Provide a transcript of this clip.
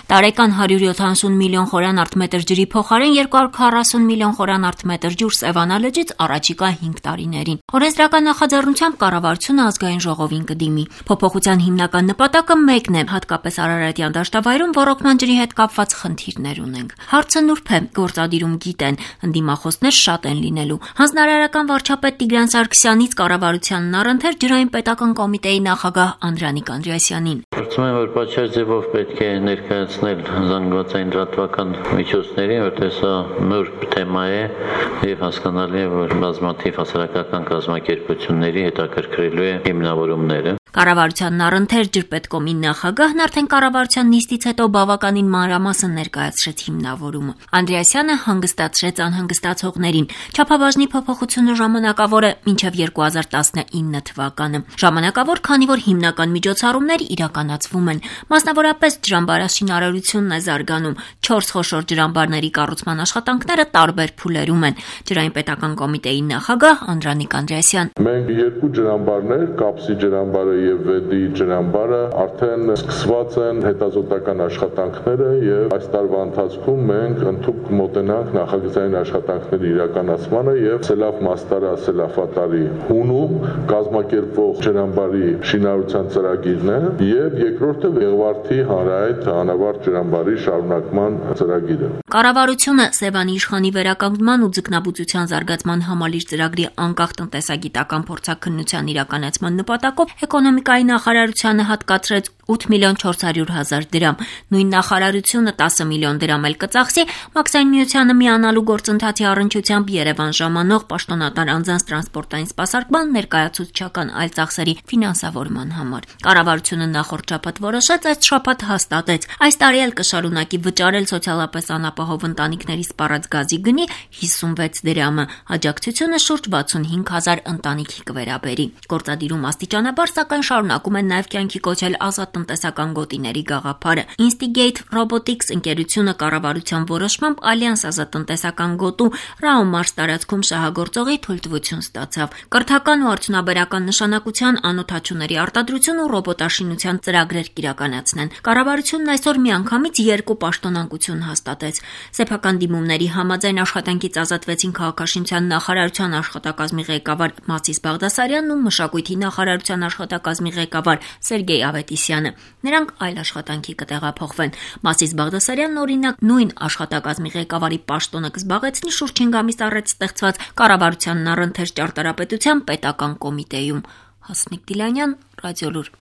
Տարեկան 170 միլիոն խորան արտմետր ջրի փոխարեն 240 միլիոն խորան արտմետր ջուր Սևանա լճից առաջիկա 5 տարիներին։ Օրենսդրական նախաձեռնությամբ կառավարությունը ազգային ժողովին կդիմի։ Փոփոխության հիմնական նպատակը մեկն է, հատկապես Արարատյան դաշտավայրում ոռոգման ջրի հետ կապված խնդիրներ ունենք։ Հարցը նուրբ է, գործադիրում գիտեն, ընդդիմախոսներ շատ են լինելու։ Հանձնարարական վարչապետ Տիգրան Սարգսյանից կառավարությանն առընթեր ջրային պետական կոմիտեի նախագահ Անդրանիկ Անդրեասյանին։ Կարծում եմ, որ պատշաճ ձևով պետք է ներկայացնել զանգվածային լրատվական միջոցներին, որտեղ սա նուրբ թեմա է եւ հասկանալի է, որ բազմաթիվ հասարակական կազմակերպությունների հետաքրքրելու է հիմնավորումները։ Կառավարությանն առընթեր ջրպետկոմի նախագահն արդեն կառավարության նիստից հետո բավականին մանրամասն ներկայացրեց հիմնավորումը։ Անդրեասյանը հանգստացրեց անհանգստացողներին։ Չափաբաժնի փոփոխությունը ժամանակավոր է մինչև 2019 թվականը։ Ժամանակավոր, քանի որ հիմնական միջոցառումներ իրականացվում են։ Մասնավորապես ջրամբարաշինարարությունն է զարգանում։ 4 խոշոր ջրամբարների կառուցման աշխատանքները տարբեր փուլերում են։ Ջրային պետական կոմիտեի նախագահ Անդրանիկ Անդրեասյան։ Մենք 2 ջրամբարներ, Կապսի ջրամբարը եւ Վեդի ջրամբարը արդեն սկսված են հետազոտական աշխատանքները եւ այս տարվա ընթացքում մենք ընդհանուր մոտենանք նախագծային աշխատանքների իրականացմանը եւ Սելավ Մաստարա Սելավատարի հունում կազմակերպվող ջրամբարի շինարարության ծրագիրն է եւ երկրորդը Վեղվարդի հանրահայտ անավարտ ջրամբարի շարունակման ծրագիրը։ Կառավարությունը Սևանի իշխանի վերականգնման ու ձկնաբուծության զարգացման համալիր ծրագրի անկախ տնտեսագիտական փորձաքննության իրականացման նպատակով էկոնոմիկայի նախարարությանը հատկացրեց 8 միլիոն 400 հազար դրամ։ Նույն նախարարությունը 10 միլիոն դրամ էլ կծախսի Մաքսային միությանը միանալու գործընթացի առնչությամբ Երևան ժամանող պաշտոնատար անձանց տրանսպորտային սպասարկման ներկայացուցչական այլ ծախսերի ֆինանսավորման համար։ Կառավարությունը նախորդ շաբաթ որոշեց, այս շաբաթ հաստատեց։ Այս տարի էլ կշարունակի վճարել սոցիալապես անապահով ընտանիքների սպառած գազի գնի 56 դրամը։ Աջակցությունը շուրջ 65 հազար ընտանիքի կվերաբերի։ Գործադիրում աստիճանաբար սակայն շարունակում են նաև կյանքի կոչել ազատ տնտեսական գոտիների գաղափարը։ Instigate Robotics ընկերությունը կառավարության որոշմամբ Ալյանս ազատտնտեսական գոտու Ռաումարս տարածքում շահագործողի թույլտվություն ստացավ։ Կրթական ու արդյունաբերական նշանակության անօթաչուների արտադրություն ու ռոբոտաշինության ծրագրեր կիրականացնեն։ Կառավարությունն այսօր միանգամից 2 պաշտոնանկություն հաստատեց։ Սեփական դիմումների համաձայն աշխատանքից ազատվեցին քաղաքաշինության նախարարության աշխատակազմի ղեկավար Մասիս Բաղդասարյանն ու մշակույթի նախարարության աշխատակազմի ղեկավար Սերգեյ Ավետիսյանը։ Նրանք այլ աշխատանքի կտեղափոխվեն։ Մասիս Բաղդասարյանն օրինակ նույն աշխատակազմի ղեկավարի պաշտոնը կզբաղեցնի շուրջ 5 ամիս առաջ ստեղծված կառավարությանն առընթեր ճարտարապետության պետական կոմիտեում։ Հասմիկ Դիլանյան, Ռադիոլուր։